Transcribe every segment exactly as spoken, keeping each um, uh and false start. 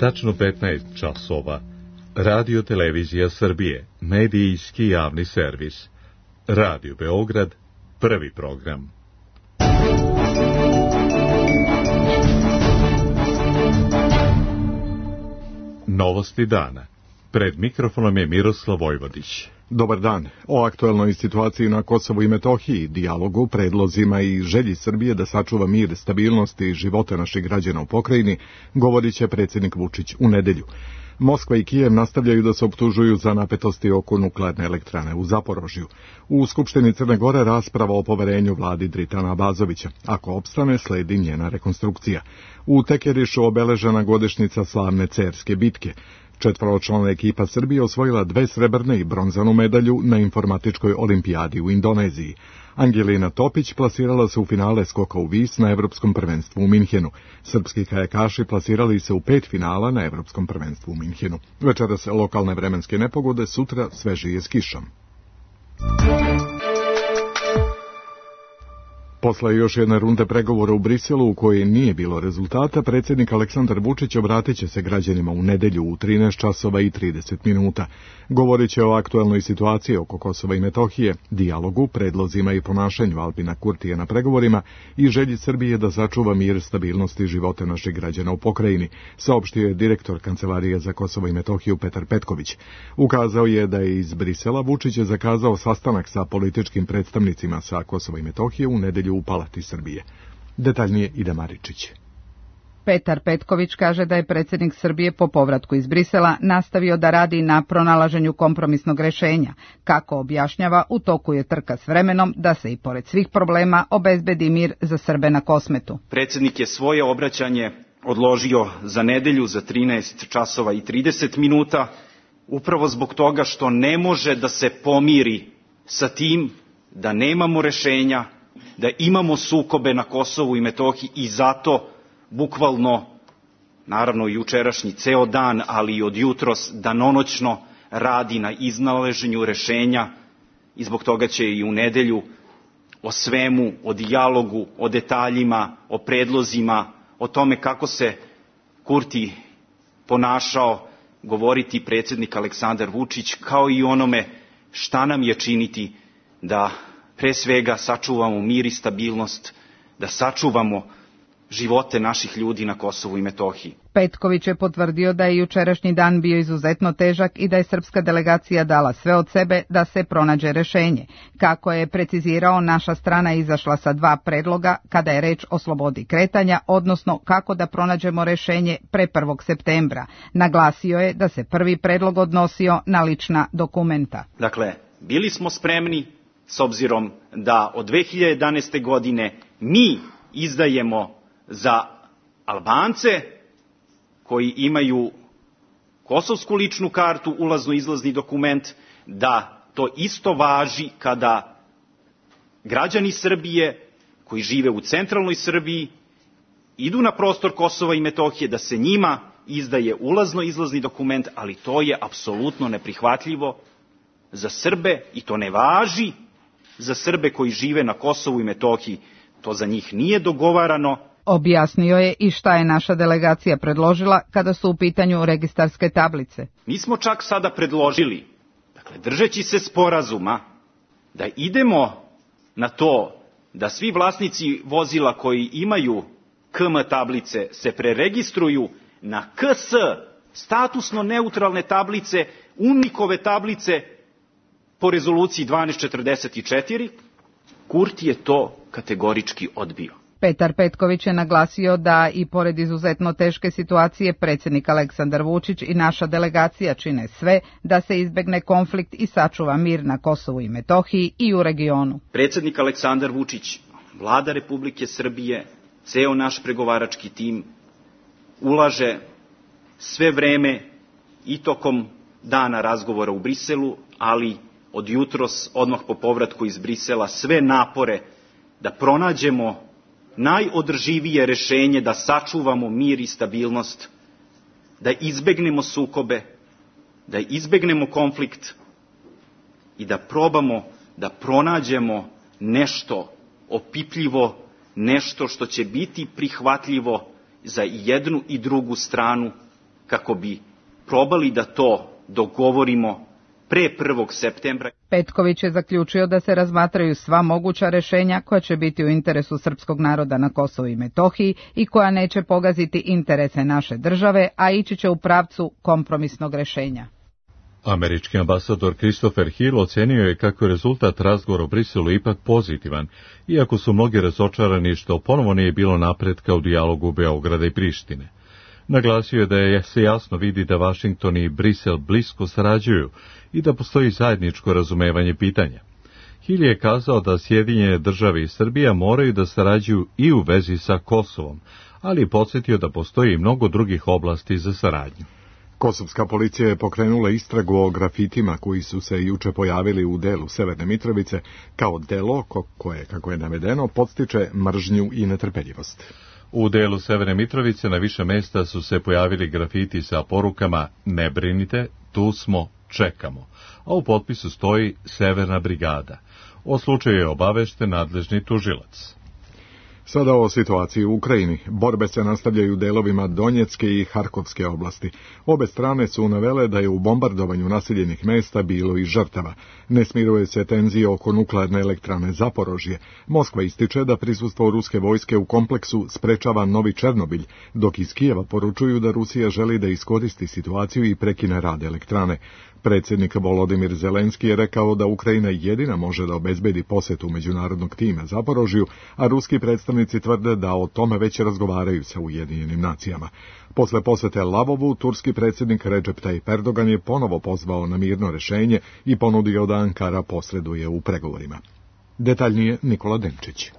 tačno petnaest časova. Radio Televizija Srbije, medijski javni servis. Radio Beograd, prvi program. Novosti dana. Pred mikrofonom je Miroslav Vojvodić. Dobar dan. O aktuelnoj situaciji na Kosovu i Metohiji, dijalogu, predlozima i želji Srbije da sačuva mir, stabilnost i živote naših građana u pokrajini, govorit će predsjednik Vučić u nedelju. Moskva i Kijev nastavljaju da se optužuju za napetosti oko nuklearne elektrane u Zaporožju. U Skupštini Crne Gore rasprava o poverenju vladi Dritana Abazovića. Ako opstane, sledi njena rekonstrukcija. U Tekerišu obeležena godišnjica slavne Cerske bitke. Četvoročlana ekipa Srbije osvojila dve srebrne i bronzanu medalju na informatičkoj olimpijadi u Indoneziji. Angelina Topić plasirala se u finale skoka u vis na Evropskom prvenstvu u Minhenu. Srpski kajakaši plasirali se u pet finala na Evropskom prvenstvu u Minhenu. Večeras lokalne vremenske nepogode, sutra svežije s kišom. Posle još jedne runde pregovora u Briselu u kojoj nije bilo rezultata, predsjednik Aleksandar Vučić obratit će se građanima u nedelju u trinaest časova i trideset minuta. Govorit će o aktuelnoj situaciji oko Kosova i Metohije, dijalogu, predlozima i ponašanju Albina Kurtija na pregovorima i želji Srbije da sačuva mir, stabilnost i živote naših građana u pokrajini, saopštio je direktor Kancelarije za Kosovo i Metohiju Petar Petković. Ukazao je da je iz Brisela Vučić je zakazao sastanak sa političkim predstavnicima sa Kosova i Metohije u nedelju u Palati Srbije. Detaljnije Ida Maričić. Petar Petković kaže da je predsjednik Srbije po povratku iz Brisela nastavio da radi na pronalaženju kompromisnog rešenja. Kako objašnjava, u toku je trka s vremenom da se i pored svih problema obezbedi mir za Srbe na Kosmetu. Predsjednik je svoje obraćanje odložio za nedelju za trinaest časova i trideset minuta, upravo zbog toga što ne može da se pomiri sa tim da nemamo rešenja, da imamo sukobe na Kosovu i Metohiji i zato bukvalno, naravno jučerašnji ceo dan, ali i od jutros danonoćno radi na iznalaženju rešenja i zbog toga će i u nedelju o svemu, o dijalogu, o detaljima, o predlozima, o tome kako se Kurti ponašao govoriti predsjednik Aleksandar Vučić, kao i onome šta nam je činiti da pre svega sačuvamo mir i stabilnost, da sačuvamo živote naših ljudi na Kosovu i Metohiji. Petković je potvrdio da je jučerašnji dan bio izuzetno težak i da je srpska delegacija dala sve od sebe da se pronađe rešenje. Kako je precizirao, naša strana je izašla sa dva predloga kada je reč o slobodi kretanja, odnosno kako da pronađemo rešenje pre prvog septembra. Naglasio je da se prvi predlog odnosio na lična dokumenta. Dakle, bili smo spremni s obzirom da od dve hiljade jedanaeste. godine mi izdajemo za Albance koji imaju kosovsku ličnu kartu, ulazno-izlazni dokument, da to isto važi kada građani Srbije koji žive u centralnoj Srbiji idu na prostor Kosova i Metohije, da se njima izdaje ulazno-izlazni dokument, ali to je apsolutno neprihvatljivo za Srbe i to ne važi za Srbe koji žive na Kosovu i Metohiji. To za njih nije dogovarano. Objasnio je i šta je naša delegacija predložila kada su u pitanju registarske tablice. Mi smo čak sada predložili, dakle, držeći se sporazuma, da idemo na to da svi vlasnici vozila koji imaju K M tablice se preregistruju na K S, statusno neutralne tablice, UNMIK-ove tablice po rezoluciji dvanaest četrdeset četiri. Kurti je to kategorički odbio. Petar Petković je naglasio da i pored izuzetno teške situacije predsjednik Aleksandar Vučić i naša delegacija čine sve da se izbegne konflikt i sačuva mir na Kosovu i Metohiji i u regionu. Predsjednik Aleksandar Vučić, Vlada Republike Srbije, ceo naš pregovarački tim ulaže sve vreme i tokom dana razgovora u Briselu, ali od jutros, odmah po povratku iz Brisela, sve napore da pronađemo najodrživije rešenje, da sačuvamo mir i stabilnost, da izbegnemo sukobe, da izbegnemo konflikt i da probamo da pronađemo nešto opipljivo, nešto što će biti prihvatljivo za jednu i drugu stranu kako bi probali da to dogovorimo pre prvog septembra. Petković je zaključio da se razmatraju sva moguća rešenja koja će biti u interesu srpskog naroda na Kosovu i Metohiji i koja neće pogaziti interese naše države, a ići će u pravcu kompromisnog rešenja. Američki ambasador Christopher Hill ocenio je kako je rezultat razgovora u Briselu ipak pozitivan, iako su mnogi razočarani što ponovo nije bilo napretka u dijalogu Beograda i Prištine. Naglasio je da je se jasno vidi da Vašington i Brisel blisko sarađuju i da postoji zajedničko razumevanje pitanja. Hill je kazao da Sjedinjene države i Srbija moraju da sarađuju i u vezi sa Kosovom, ali je podsjetio da postoji i mnogo drugih oblasti za saradnju. Kosovska policija je pokrenula istragu o grafitima koji su se juče pojavili u delu Severne Mitrovice kao delo koje, kako je navedeno, podstiče mržnju i netrpeljivost. U delu Severne Mitrovice na više mesta su se pojavili grafiti sa porukama "Ne brinite, tu smo, čekamo", a u potpisu stoji Severna brigada. O slučaju je obavešten nadležni tužilac. Sada o situaciji u Ukrajini. Borbe se nastavljaju u delovima Donjecke i Harkovske oblasti. Obe strane su navele da je u bombardovanju naseljenih mesta bilo i žrtava. Ne smiruje se tenzije oko nuklearne elektrane Zaporožje. Moskva ističe da prisustvo ruske vojske u kompleksu sprečava novi Černobilj, dok iz Kijeva poručuju da Rusija želi da iskoristi situaciju i prekine rad elektrane. Predsjednik Volodimir Zelenski je rekao da Ukrajina jedina može da obezbedi posetu međunarodnog tima Zaporožju, a ruski predstavnici tvrde da o tome već razgovaraju sa Ujedinjenim nacijama. Posle posete Lavovu, turski predsjednik Recep Tayyip Erdogan je ponovo pozvao na mirno rešenje i ponudio da Ankara posreduje u pregovorima. Detaljnije Nikola Denčić.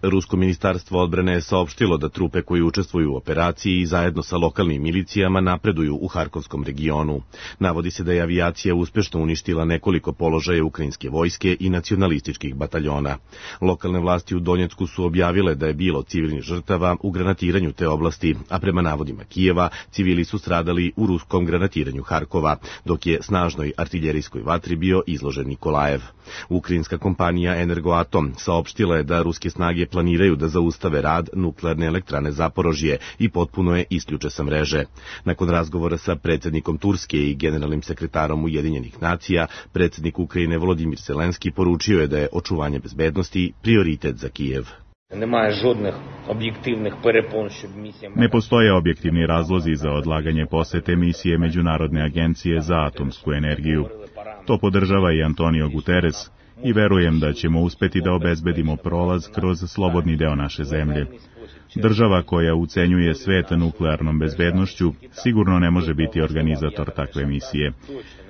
Rusko ministarstvo odbrane je saopštilo da trupe koji učestvuju u operaciji zajedno sa lokalnim milicijama napreduju u Harkovskom regionu. Navodi se da je avijacija uspešno uništila nekoliko položaja ukrajinske vojske i nacionalističkih bataljona. Lokalne vlasti u Donjecku su objavile da je bilo civilnih žrtava u granatiranju te oblasti, a prema navodima Kijeva, civili su stradali u ruskom granatiranju Harkova, dok je snažnoj artiljerijskoj vatri bio izložen Nikolajev. Ukrajinska kompanija Energoatom saopštila je da ruske snage planiraju da zaustave rad nuklearne elektrane Zaporožje i potpuno je isključe sa mreže. Nakon razgovora sa predsjednikom Turske i generalnim sekretarom Ujedinjenih nacija, predsjednik Ukrajine Volodimir Zelenski poručio je da je očuvanje bezbednosti prioritet za Kijev. Ne postoje objektivni razlozi za odlaganje posete misije Međunarodne agencije za atomsku energiju. To podržava i Antonio Guterres i verujem da ćemo uspeti da obezbedimo prolaz kroz slobodni deo naše zemlje. Država koja ucenjuje svet nuklearnom bezbednošću sigurno ne može biti organizator takve misije.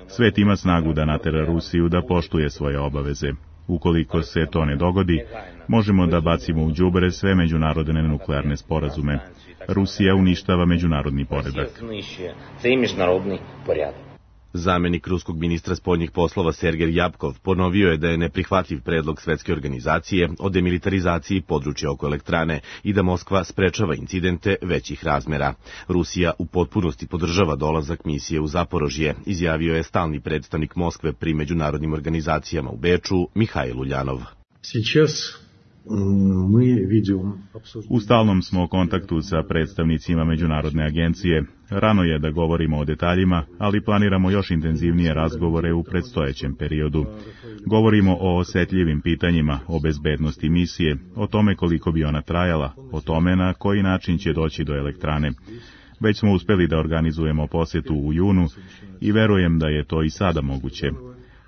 Svet ima snagu da natera Rusiju da poštuje svoje obaveze. Ukoliko se to ne dogodi, možemo da bacimo u đubre sve međunarodne nuklearne sporazume. Rusija uništava međunarodni poredak. Zamenik ruskog ministra spoljnih poslova Sergej Javkov ponovio je da je neprihvatljiv predlog Svetske organizacije o demilitarizaciji područja oko elektrane i da Moskva sprečava incidente većih razmera. Rusija u potpunosti podržava dolazak misije u Zaporožje, izjavio je stalni predstavnik Moskve pri međunarodnim organizacijama u Beču, Mihajl Uljanov. U stalnom smo kontaktu sa predstavnicima Međunarodne agencije. Rano je da govorimo o detaljima, ali planiramo još intenzivnije razgovore u predstojećem periodu. Govorimo o osetljivim pitanjima, o bezbednosti misije, o tome koliko bi ona trajala, o tome na koji način će doći do elektrane. Već smo uspeli da organizujemo posjetu u junu i verujem da je to i sada moguće.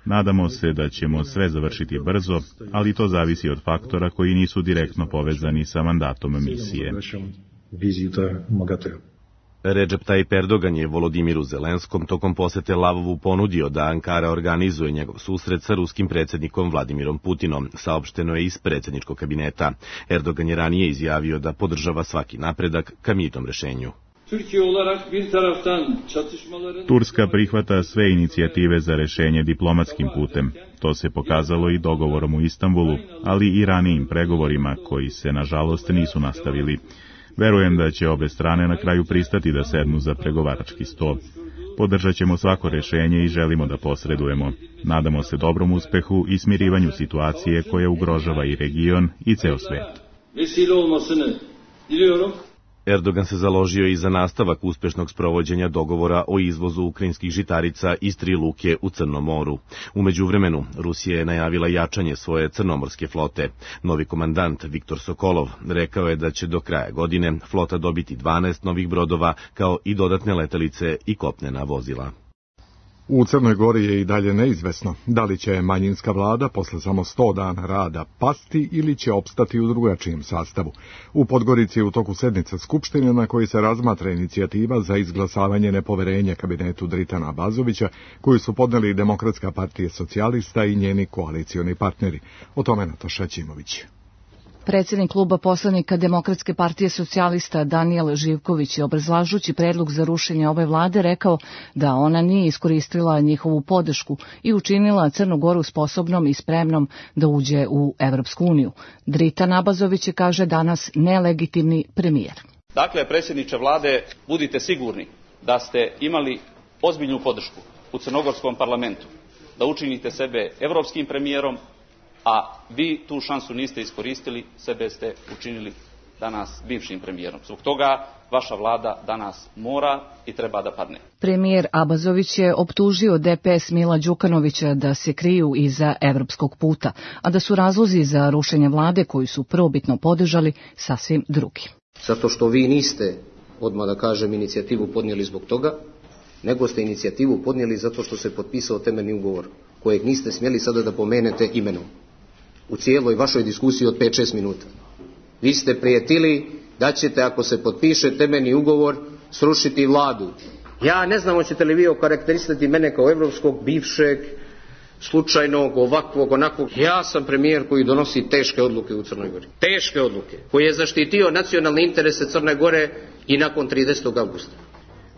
Nadamo se da ćemo sve završiti brzo, ali to zavisi od faktora koji nisu direktno povezani sa mandatom misije. Recep Tayyip Erdogan je Volodimiru Zelenskom tokom posete Lavovu ponudio da Ankara organizuje njegov susret sa ruskim predsjednikom Vladimirom Putinom, saopšteno je iz predsjedničkog kabineta. Erdogan je ranije izjavio da podržava svaki napredak ka mirnom rešenju. Turska prihvata sve inicijative za rešenje diplomatskim putem. To se pokazalo i dogovorom u Istanbulu, ali i ranijim pregovorima koji se, nažalost, nisu nastavili. Verujem da će obe strane na kraju pristati da sednu za pregovarački sto. Podržat ćemo svako rešenje i želimo da posredujemo. Nadamo se dobrom uspehu i smirivanju situacije koja ugrožava i region i ceo svet. Erdogan se založio i za nastavak uspešnog sprovođenja dogovora o izvozu ukrajinskih žitarica iz tri luke u Crnom moru. U međuvremenu, Rusija je najavila jačanje svoje crnomorske flote. Novi komandant Viktor Sokolov rekao je da će do kraja godine flota dobiti dvanaest novih brodova, kao i dodatne letelice i kopnena vozila. U Crnoj Gori je i dalje neizvesno da li će manjinska vlada posle samo sto dana rada pasti ili će opstati u drugačijem sastavu. U Podgorici je u toku sednice Skupštine na kojoj se razmatra inicijativa za izglasavanje nepoverenja kabinetu Dritana Abazovića, koju su podneli Demokratska partija socijalista i njeni koalicioni partneri. O tome Nataša Ćimović. Predsjednik kluba poslanika Demokratske partije socijalista Danijel Živković je, obrazlažući predlog za rušenje ove vlade, rekao da ona nije iskoristila njihovu podršku i učinila Crnu Goru sposobnom i spremnom da uđe u Evropsku uniju. Dritan Abazović je, kaže, danas nelegitimni premijer. Dakle, predsjedniče vlade, budite sigurni da ste imali ozbiljnu podršku u crnogorskom parlamentu, da učinite sebe evropskim premijerom, a vi tu šansu niste iskoristili, sebe ste učinili danas bivšim premijerom. Zbog toga vaša vlada danas mora i treba da padne. Premijer Abazović je optužio D P S Mila Đukanovića da se kriju iza evropskog puta, a da su razlozi za rušenje vlade koju su prvobitno podržali sasvim drugi. Zato što vi niste, odmah da kažem, inicijativu podnijeli zbog toga, nego ste inicijativu podnijeli zato što se potpisao temeljni ugovor, kojeg niste smjeli sada da pomenete imenom u cijeloj vašoj diskusiji od pet šest minuta. Vi ste prijetili da ćete, ako se potpiše temeljni ugovor, srušiti vladu. Ja ne znam, hoćete li vi okarakterisati mene kao evropskog, bivšeg, slučajnog, ovakvog, onakvog. Ja sam premijer koji donosi teške odluke u Crnoj Gori. Teške odluke. Koji je zaštitio nacionalne interese Crne Gore i nakon tridesetog avgusta.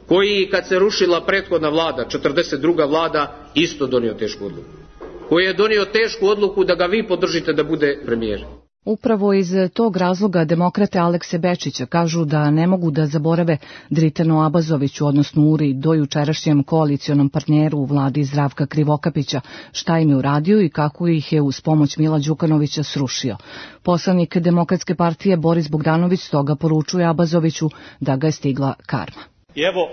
Koji, kad se rušila prethodna vlada, četrdeset druga vlada, isto donio tešku odluku. Koji je donio tešku odluku da ga vi podržite da bude premijer. Upravo iz tog razloga demokrate Alekse Bečića kažu da ne mogu da zaborave Dritanu Abazoviću, odnosno Uri, dojučerašnjem koalicionom partneru u vladi Zdravka Krivokapića, šta im je uradio i kako ih je uz pomoć Mila Đukanovića srušio. Poslanik Demokratske partije Boris Bogdanović stoga poručuje Abazoviću da ga je stigla karma. I evo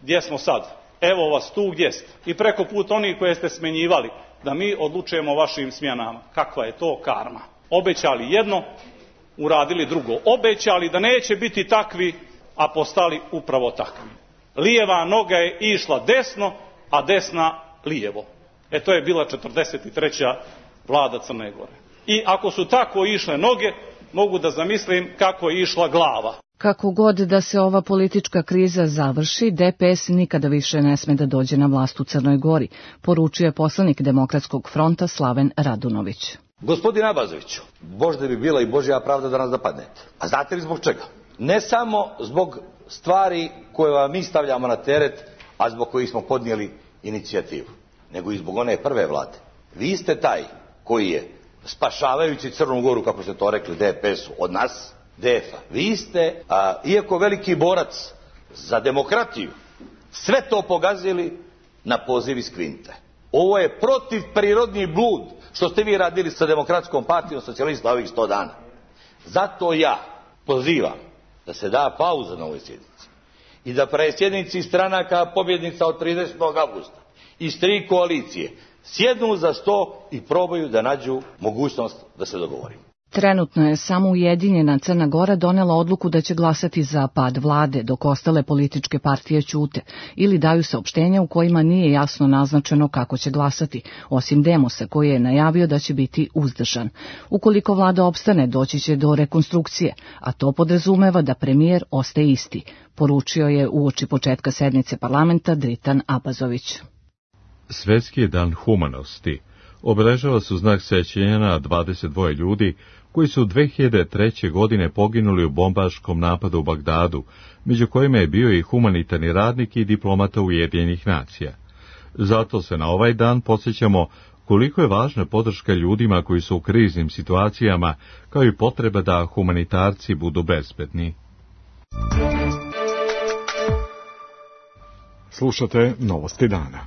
gdje smo sad. Evo vas tu gdje ste. I preko put onih koje ste smenjivali, da mi odlučujemo o vašim smjenama. Kakva je to karma? Obećali jedno, uradili drugo. Obećali da neće biti takvi, a postali upravo takvi. Lijeva noga je išla desno, a desna lijevo. E to je bila četrdeset treća vlada Crne Gore. I ako su tako išle noge, mogu da zamislim kako je išla glava. Kako god da se ova politička kriza završi, D P S nikada više ne sme da dođe na vlast u Crnoj Gori, poručuje poslanik Demokratskog fronta Slaven Radunović. Gospodin Abazoviću, možda bi bila i Božja pravda da nas napadnete. A znate li zbog čega? Ne samo zbog stvari koje vam mi stavljamo na teret, a zbog kojih smo podnijeli inicijativu, nego i zbog one prve vlade. Vi ste taj koji je, spašavajući Crnu Goru, kako ste to rekli, D P S-u od nas, D F-a, vi ste, a, iako veliki borac za demokratiju, sve to pogazili na poziv iz Kvinte. Ovo je protiv prirodni blud što ste vi radili sa Demokratskom partijom socijalista ovih sto dana. Zato ja pozivam da se da pauza na ovoj sjednici i da predsjednici stranaka pobjednica od tridesetog avgusta iz tri koalicije sjednu za sto i probaju da nađu mogućnost da se dogovorimo. Trenutno je samo Ujedinjena Crna Gora donela odluku da će glasati za pad vlade, dok ostale političke partije ćute ili daju saopštenja u kojima nije jasno naznačeno kako će glasati, osim Demosa koji je najavio da će biti uzdržan. Ukoliko vlada opstane, doći će do rekonstrukcije, a to podrazumeva da premijer ostaje isti, poručio je uoči početka sednice parlamenta Dritan Abazović. Svetski je dan humanosti. Obeležava su znak sećanja na dvadeset dva ljudi koji su dve hiljade treće. godine poginuli u bombaškom napadu u Bagdadu, među kojima je bio i humanitarni radnik i diplomata Ujedinjenih nacija. Zato se na ovaj dan podsjećamo koliko je važna podrška ljudima koji su u kriznim situacijama, kao i potreba da humanitarci budu bezbedni. Slušate novosti dana.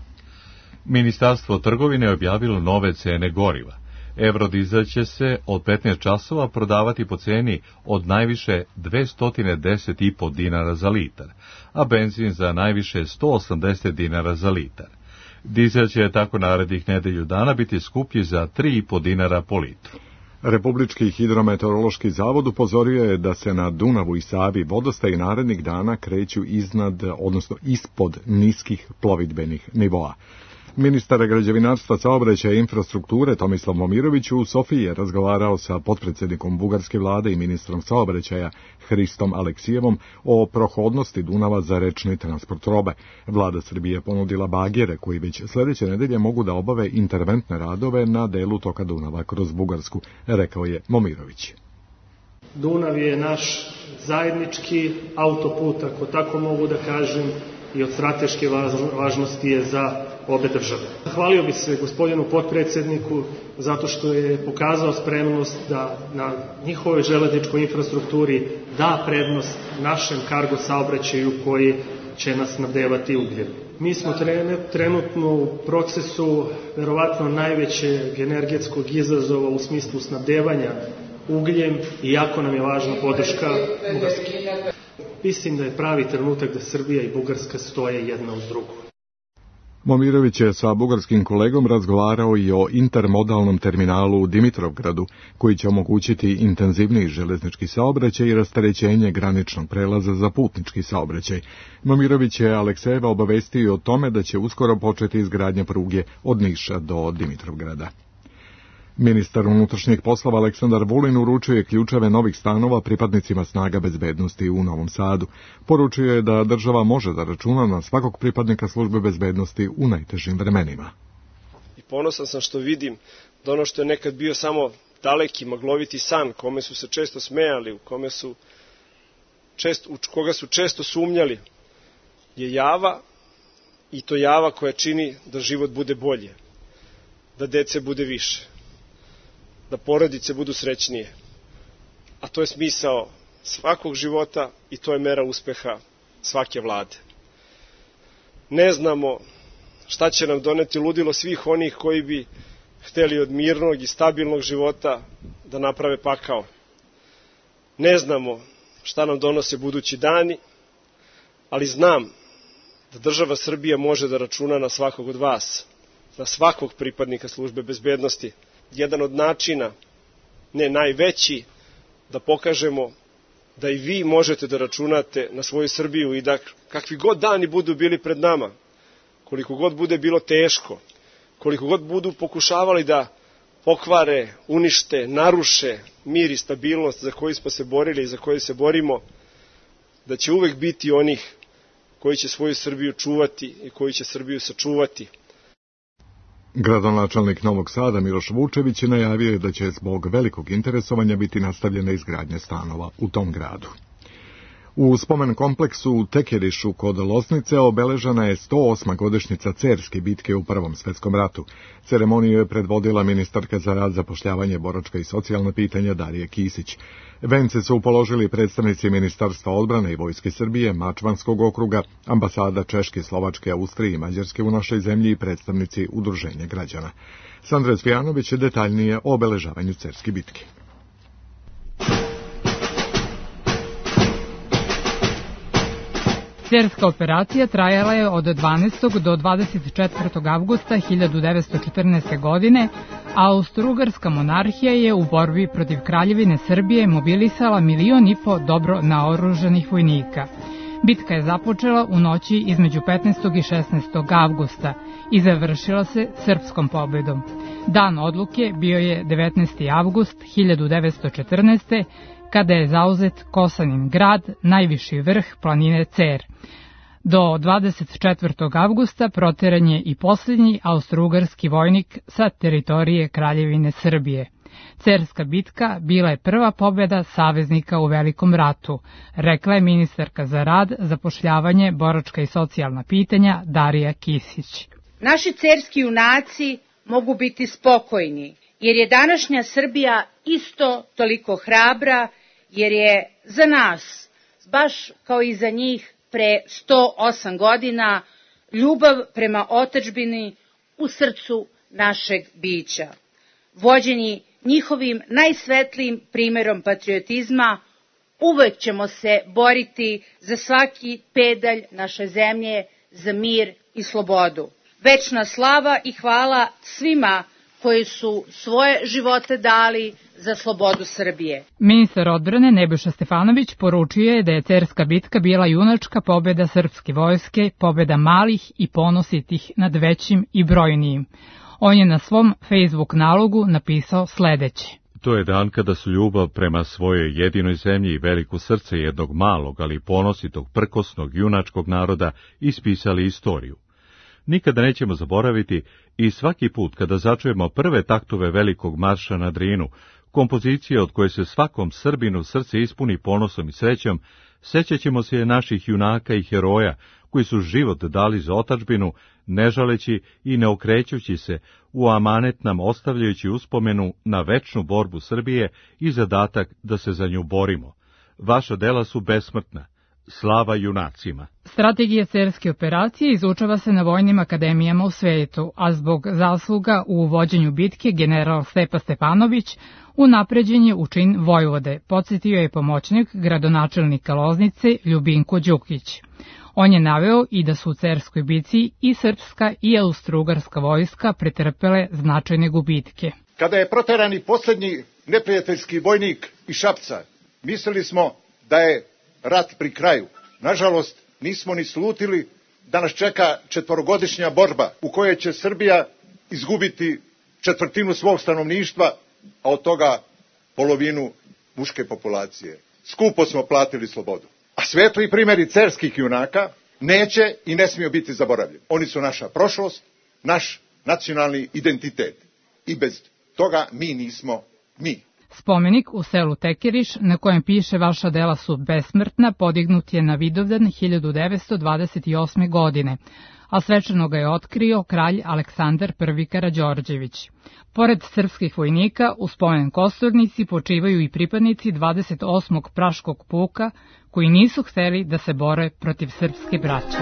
Ministarstvo trgovine je objavilo nove cene goriva. Eurodizel će se od petnaest časova prodavati po ceni od najviše dvesta deset i po dinara za litar, a benzin za najviše sto osamdeset dinara za litar. Dizel će tako narednih nedelju dana biti skuplji za tri i po dinara po litru. Republički hidrometeorološki zavod upozorio je da se na Dunavu i Savi vodostaji narednih dana kreću iznad, odnosno ispod niskih plovidbenih nivoa. Ministar građevinarstva, saobraćaja i infrastrukture Tomislav Momirović u Sofiji je razgovarao sa potpredsjednikom bugarske vlade i ministrom saobraćaja Hristom Aleksijevom o prohodnosti Dunava za rečni transport robe. Vlada Srbije ponudila bagere koji već sljedeće nedelje mogu da obave interventne radove na delu toka Dunava kroz Bugarsku, rekao je Momirović. Dunav je naš zajednički autoput, ako tako mogu da kažem, i od strateške važnosti je za obe države. Hvalio bi se gospodinu potpredsjedniku zato što je pokazao spremnost da na njihovoj železničkoj infrastrukturi da prednost našem kargo saobraćaju koji će nas snabdevati ugljem. Mi smo trenutno u procesu verovatno najvećeg energetskog izazova u smislu snabdevanja ugljem i jako nam je važna podrška Bugarske. Mislim da je pravi trenutak da Srbija i Bugarska stoje jedna uz drugu. Momirović je sa bugarskim kolegom razgovarao i o intermodalnom terminalu u Dimitrovgradu, koji će omogućiti intenzivniji železnički saobraćaj i rasterećenje graničnog prelaza za putnički saobraćaj. Momirović je Aleksejeva obavestio o tome da će uskoro početi izgradnja pruge od Niša do Dimitrovgrada. Ministar unutrašnjih poslova Aleksandar Vulin uručio je ključeve novih stanova pripadnicima snaga bezbednosti u Novom Sadu. Poručio je da država može da računa na svakog pripadnika službe bezbednosti u najtežim vremenima. I ponosan sam što vidim da ono što je nekad bio samo daleki, magloviti san, kome su se često smejali, u kome su često, u koga su često sumnjali, je java, i to java koja čini da život bude bolje, da dece bude više, da porodice budu srećnije. A to je smisao svakog života i to je mera uspeha svake vlade. Ne znamo šta će nam doneti ludilo svih onih koji bi hteli od mirnog i stabilnog života da naprave pakao. Ne znamo šta nam donose budući dani, ali znam da država Srbija može da računa na svakog od vas, na svakog pripadnika službe bezbednosti. Jedan od načina, ne najveći, da pokažemo da i vi možete da računate na svoju Srbiju i da kakvi god dani budu bili pred nama, koliko god bude bilo teško, koliko god budu pokušavali da pokvare, unište, naruše mir i stabilnost za koju smo se borili i za koju se borimo, da će uvek biti onih koji će svoju Srbiju čuvati i koji će Srbiju sačuvati. Gradonačelnik Novog Sada Miloš Vučević najavio je da će zbog velikog interesovanja biti nastavljena izgradnja stanova u tom gradu. U spomen kompleksu u Tekerišu kod Loznice obeležena je sto osma godišnjica Cerske bitke u Prvom svetskom ratu. Ceremoniju je predvodila ministarka za rad, zapošljavanje, boračka i socijalna pitanja Darija Kisić. Vence su položili predstavnici Ministarstva odbrane i Vojske Srbije, Mačvanskog okruga, ambasada Češke, Slovačke, Austrije i Mađarske u našoj zemlji i predstavnici Udruženja građana. Sandra Cvijanović je detaljnije o obeležavanju Cerske bitke. Cerska operacija trajala je od dvanaestog do dvadeset četvrtog avgusta hiljadu devetsto četrnaeste. godine, a Austro-Ugarska monarhija je u borbi protiv Kraljevine Srbije mobilisala milion i po dobro naoružanih vojnika. Bitka je započela u noći između petnaestog i šesnaestog avgusta i završila se srpskom pobedom. Dan odluke bio je devetnaesti avgust hiljadu devetsto četrnaeste. kada je zauzet Kosanin grad, najviši vrh planine Cer. Do dvadeset četvrtog avgusta proteran je i posljednji austrougarski vojnik sa teritorije Kraljevine Srbije. Cerska bitka bila je prva pobjeda saveznika u Velikom ratu, rekla je ministarka za rad, zapošljavanje, boračka i socijalna pitanja Darija Kisić. Naši cerski junaci mogu biti spokojni, jer je današnja Srbija isto toliko hrabra, jer je za nas, baš kao i za njih pre sto osam godina, ljubav prema otadžbini u srcu našeg bića. vođeni njihovim najsvetlijim primerom patriotizma, uvek ćemo se boriti za svaki pedalj naše zemlje, za mir i slobodu. Večna slava i hvala svima koji su svoje živote dali za slobodu Srbije. Ministar odbrane Nebojša Stefanović poručio je da je Cerska bitka bila junačka pobjeda srpske vojske, pobjeda malih i ponositih nad većim i brojnijim. On je na svom Facebook nalogu napisao sledeće. To je dan kada su ljubav prema svojoj jedinoj zemlji i veliko srce jednog malog, ali ponositog, prkosnog, junačkog naroda ispisali istoriju. Nikada nećemo zaboraviti i svaki put kada začujemo prve taktove velikog marša na Drinu, kompozicije od koje se svakom Srbinu srce ispuni ponosom i srećom, sećat ćemo se naših junaka i heroja koji su život dali za otadžbinu, ne žaleći i ne okrećući se, u amanet nam ostavljajući uspomenu na večnu borbu Srbije i zadatak da se za nju borimo. Vaša dela su besmrtna. Slava junacima. Strategija Cerske operacije izučava se na vojnim akademijama u svetu, a zbog zasluga u vođenju bitke general Stepa Stepanović unapređen je u čin vojvode, podsjetio je pomoćnik gradonačelnika Loznice Ljubinko Đukić. On je naveo i da su u Cerskoj bici i srpska i austrougarska vojska pretrpele značajne gubitke. Kada je proterani poslednji neprijateljski vojnik iz Šapca, mislili smo da je rat pri kraju. Nažalost, nismo ni slutili da nas čeka četvorogodišnja borba u kojoj će Srbija izgubiti četvrtinu svog stanovništva, a od toga polovinu muške populacije. Skupo smo platili slobodu. A svetli primjeri cerskih junaka neće i ne smiju biti zaboravljeni. Oni su naša prošlost, naš nacionalni identitet. I bez toga mi nismo mi. Spomenik u selu Tekeriš, na kojem piše vaša dela su besmrtna, podignut je na Vidovdan hiljadu devetsto dvadeset osme. godine, a svečano ga je otkrio kralj Aleksandar prvi. Karađorđević. Pored srpskih vojnika, u spomen kosturnici počivaju i pripadnici dvadeset osmog praškog puka, koji nisu hteli da se bore protiv srpske braće.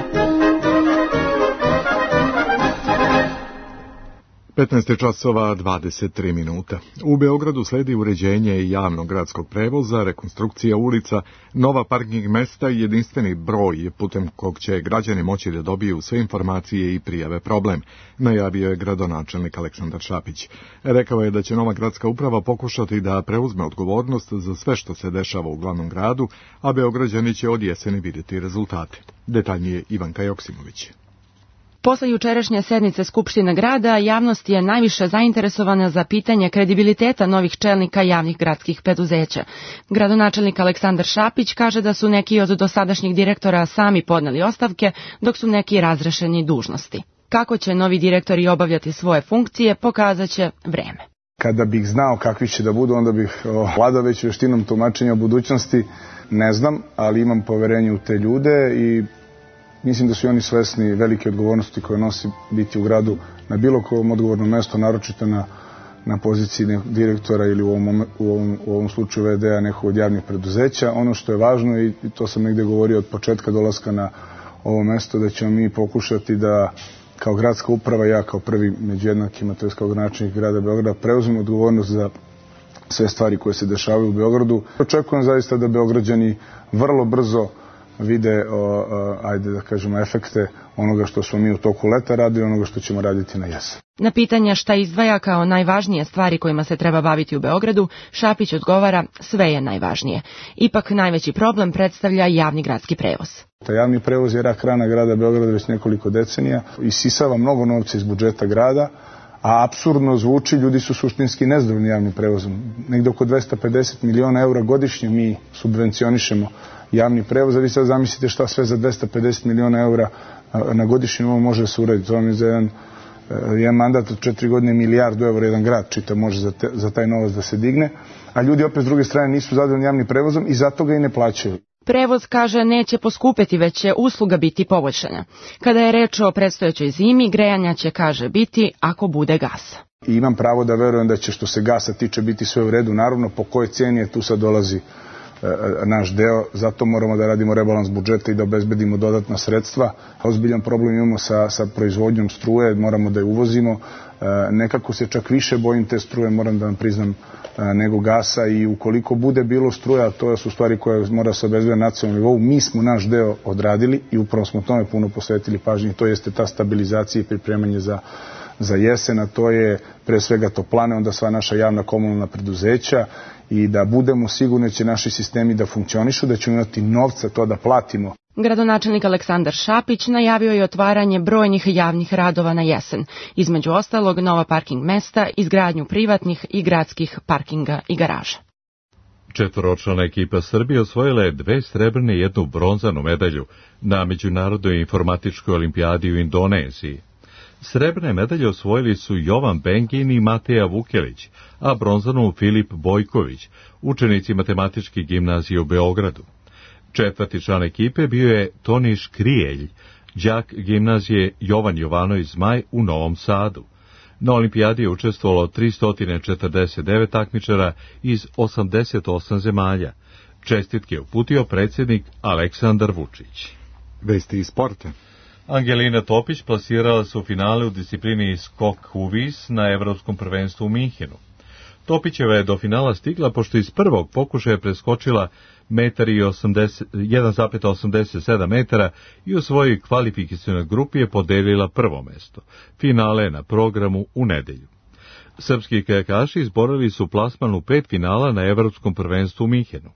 petnaest časova dvadeset tri minuta. U Beogradu sledi uređenje javnog gradskog prevoza, rekonstrukcija ulica, nova parking mesta i jedinstveni broj putem kog će građani moći da dobiju sve informacije i prijave problem, najavio je gradonačelnik Aleksandar Šapić. Rekao je da će nova gradska uprava pokušati da preuzme odgovornost za sve što se dešava u glavnom gradu, a Beograđani će od jeseni vidjeti rezultate. Detaljnije Ivanka Joksimović. Posle jučerašnje sednice Skupštine grada, javnost je najviše zainteresovana za pitanje kredibiliteta novih čelnika javnih gradskih preduzeća. Gradonačelnik Aleksandar Šapić kaže da su neki od dosadašnjih direktora sami podneli ostavke, dok su neki razrešeni dužnosti. Kako će novi direktori obavljati svoje funkcije, pokazat će vreme. Kada bih znao kakvi će da budu, onda bih vladao već veštinom tumačenja o budućnosti. Ne znam, ali imam poverenje u te ljude i mislim da su oni svesni velike odgovornosti koje nosi biti u gradu na bilo kom odgovornom mestu, naročito na, na poziciji direktora ili u ovom, u ovom, u ovom slučaju ve de a nekog od javnih preduzeća. Ono što je važno, i to sam negde govorio od početka dolaska na ovo mesto, da ćemo mi pokušati da kao gradska uprava, ja kao prvi među jednakima, to je kao gradonačelnik grada Beograda, preuzmem odgovornost za sve stvari koje se dešavaju u Beogradu. Očekujem zaista da Beograđani vrlo brzo vide, o, o, ajde da kažemo, efekte onoga što smo mi u toku leta radili, onoga što ćemo raditi na jesen. Na pitanja šta izdvaja kao najvažnije stvari kojima se treba baviti u Beogradu, Šapić odgovara: sve je najvažnije. Ipak najveći problem predstavlja javni gradski prevoz. Ta javni prevoz je rak rana grada Beograda već nekoliko decenija, isisava mnogo novca iz budžeta grada, a apsurdno zvuči, ljudi su suštinski nezadovoljni javnim prevozom. Negde oko dvesta pedeset miliona eura godišnje mi subvencionišemo javni prevoz, a vi sad zamislite šta sve za dvesta pedeset miliona eura na godišnjem nivou može da se uraditi. To vam je za jedan, jedan mandat od četiri godine milijardu eura jedan grad čita može za, te, za taj novac da se digne, a ljudi opet s druge strane nisu zadovoljni javnim prevozom i zato ga i ne plaćaju. Prevoz, kaže, neće poskupeti, već će usluga biti poboljšana. Kada je reč o predstojećoj zimi, grejanja će, kaže, biti ako bude gasa. I imam pravo da verujem da će, što se gasa tiče, biti sve u redu. Naravno, po kojoj cijeni je tu sad dolazi e, naš deo, zato moramo da radimo rebalans budžeta i da obezbedimo dodatna sredstva. Ozbiljan problem imamo sa, sa proizvodnjom struje, moramo da je uvozimo nekako se čak više bojim te struje, moram da vam priznam, nego gasa, i ukoliko bude bilo struja, to su stvari koje mora se obezbediti na nacionalnom nivou. Mi smo naš deo odradili i upravo smo tome puno posvetili pažnje, to jeste ta stabilizacija i pripremanje za, za jesen, a to je pre svega toplane, onda sva naša javna komunalna preduzeća, i da budemo sigurni da će naši sistemi da funkcionišu, da ćemo imati novca to da platimo. Gradonačelnik Aleksandar Šapić najavio je otvaranje brojnih javnih radova na jesen, između ostalog nova parking mesta, izgradnju privatnih i gradskih parkinga i garaža. Četvoročlana ekipa Srbije osvojila je dve srebrne i jednu bronzanu medalju na Međunarodnoj informatičkoj olimpijadi u Indoneziji. Srebrne medalje osvojili su Jovan Bengin i Mateja Vukelić, a bronzanu Filip Bojković, učenici matematičke gimnazije u Beogradu. Četvrti član ekipe bio je Toni Škrijelj, đak gimnazije Jovan Jovanović Zmaj u Novom Sadu. Na olimpijadi je učestvovalo tristo četrdeset devet takmičara iz osamdeset osam zemalja. Čestitke je uputio predsjednik Aleksandar Vučić. Vesti iz sporta. Angelina Topić plasirala se u finale u disciplini skok u vis na Evropskom prvenstvu u Minhenu. Topićeva je do finala stigla pošto iz prvog pokušaja preskočila jedan zarez osamdeset sedam metara i u svojoj kvalifikacionoj grupi je podelila prvo mesto. Finale je na programu u nedelju. Srpski kajakaši izborili su plasman u pet finala na Evropskom prvenstvu u Minhenu.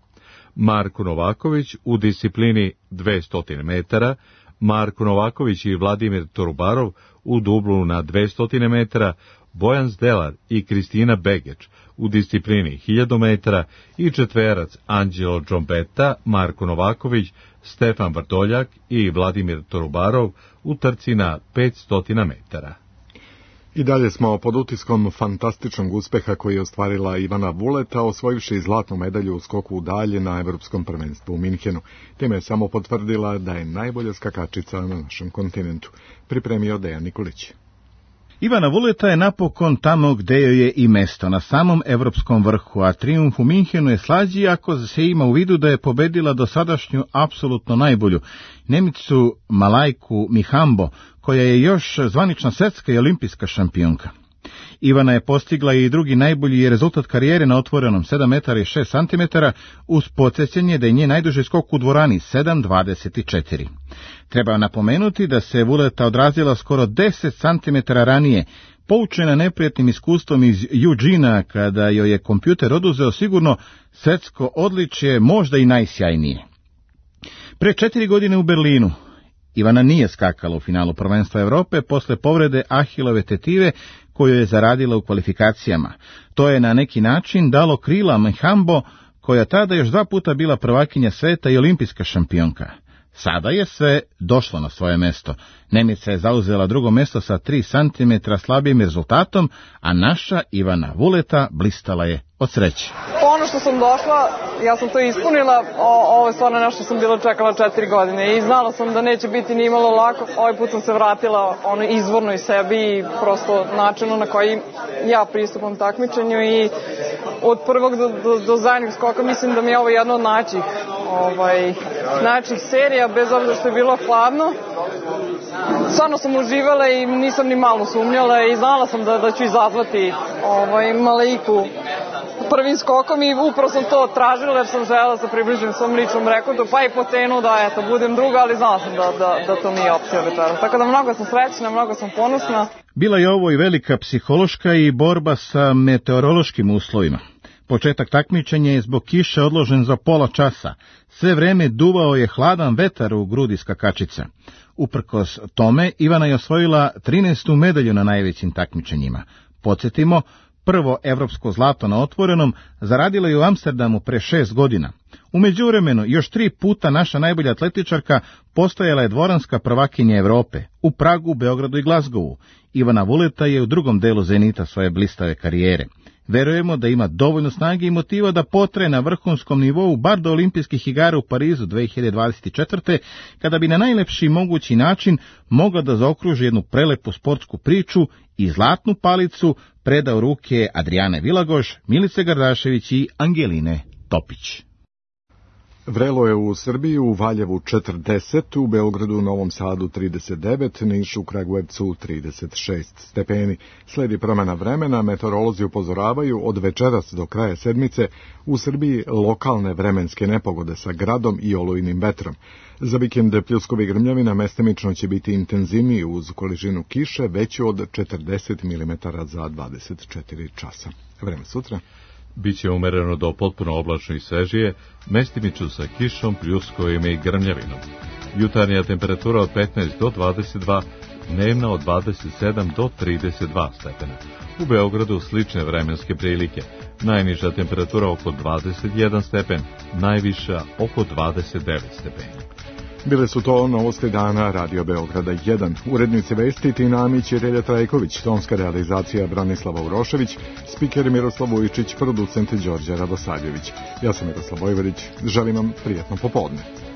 Marko Novaković u disciplini dvesta metara, Marko Novaković i Vladimir Torubarov u dublu na dvesta metara, Bojan Zdelar i Kristina Begeč u disciplini hiljadu metara i četverac Anđelo Džombeta, Marko Novaković, Stefan Vrdoljak i Vladimir Torubarov u trci na petsto metara. I dalje smo pod utiskom fantastičnog uspeha koji je ostvarila Ivana Vuleta, osvojivši zlatnu medalju u skoku u dalje na Evropskom prvenstvu u Minhenu. Time je samo potvrdila da je najbolja skakačica na našem kontinentu. Pripremio Dejan Nikolić. Ivana Vuleta je napokon tamo gde joj je i mesto, na samom evropskom vrhu, a trijumf u Minhenu je slađi ako se ima u vidu da je pobedila dosadašnju apsolutno najbolju Nemicu Malajku Mihambo, koja je još zvanična svetska i olimpijska šampionka. Ivana je postigla i drugi najbolji rezultat karijere na otvorenom sedam metara i šest centimetara, uz podsjećanje da je njen najduži skok u dvorani sedam dvadeset četiri. Treba napomenuti da se Vuleta odrazila skoro deset centimetara ranije, poučena neprijatnim iskustvom iz Eugena, kada joj je kompjuter oduzeo sigurno svetsko odličje, možda i najsjajnije. Pre četiri godine u Berlinu Ivana nije skakala u finalu prvenstva Evrope posle povrede Ahilove tetive koju je zaradila u kvalifikacijama. To je na neki način dalo krila Mihambo, koja tada još dva puta bila prvakinja sveta i olimpijska šampionka. Sada je sve došlo na svoje mesto. Nemica je zauzela drugo mesto sa tri centimetra slabijim rezultatom, a naša Ivana Vuleta blistala je od sreće. Ono što sam došla, ja sam to ispunila, o, ovo je stvarno nešto sam bila čekala četiri godine i znala sam da neće biti ni imalo lako. Ovaj put sam se vratila ono izvorno iz sebi i prosto načinu na koji ja pristupam takmičenju i od prvog do, do, do zadnjeg skoka mislim da mi je ovo jedno od najčih, ovaj, najčih serija, bez obzira što je bilo hladno. Stvarno sam uživala i nisam ni malo sumnjala i znala sam da, da ću izazvati ovaj, Malaiku prvim skokom i upravo sam to tražila jer sam želela da se približim svom ličnom rekordu, pa i po cenu da eto, budem druga, ali znala sam da, da, da to nije opcija večera. Tako da mnogo sam srećna, mnogo sam ponosna. Bila je ovo i velika psihološka i borba sa meteorološkim uslovima. Početak takmičenja je zbog kiše odložen za pola časa. Sve vreme duvao je hladan vetar u grudi skakačica. Uprkos tome, Ivana je osvojila trinaestu medalju na najvećim takmičenjima. Podsjetimo, prvo evropsko zlato na otvorenom zaradila je u Amsterdamu pre šest godina. U međuvremenu, još tri puta naša najbolja atletičarka postajala je dvoranska prvakinja Evrope, u Pragu, Beogradu i Glazgovu. Ivana Vuleta je u drugom delu zenita svoje blistave karijere. Verujemo da ima dovoljno snage i motiva da potraje na vrhunskom nivou bar do olimpijskih igara u Parizu dve hiljade dvadeset četvrte. kada bi na najlepši mogući način mogla da zaokruži jednu prelepu sportsku priču i zlatnu palicu preda u ruke Adrijane Vilagoš, Milice Gardašević i Angeline Topić. Vrelo je u Srbiji, u Valjevu četrdeset, u Beogradu, Novom Sadu trideset devet, Nišu, Kragujevcu trideset šest stepeni. Sledi promjena vremena, meteorolozi upozoravaju od večeras do kraja sedmice u Srbiji lokalne vremenske nepogode sa gradom i olujnim vetrom. Za vikend pljuskovi grmljavina mestimično će biti intenzivniji uz količinu kiše veću od četrdeset milimetara za dvadeset četiri časa. Vreme sutra. Biće umereno do potpuno oblačno i svežije, mestimično sa kišom, pljuskovima i grmljavinom. Jutarnja temperatura od petnaest do dvadeset dva, dnevna od dvadeset sedam do trideset dva stepena. U Beogradu slične vremenske prilike. Najniža temperatura oko dvadeset jedan stepen, najviša oko dvadeset devet stepeni. Bile su to novosti dana Radio Beograda jedan. Urednici vesti Tina Amić i Relja Trajković, tonska realizacija Branislava Urošević, spiker Miroslav Vujčić, producent Đorđe Radosavljević. Ja sam Miroslav Vojvodić, želim vam prijatno popodne.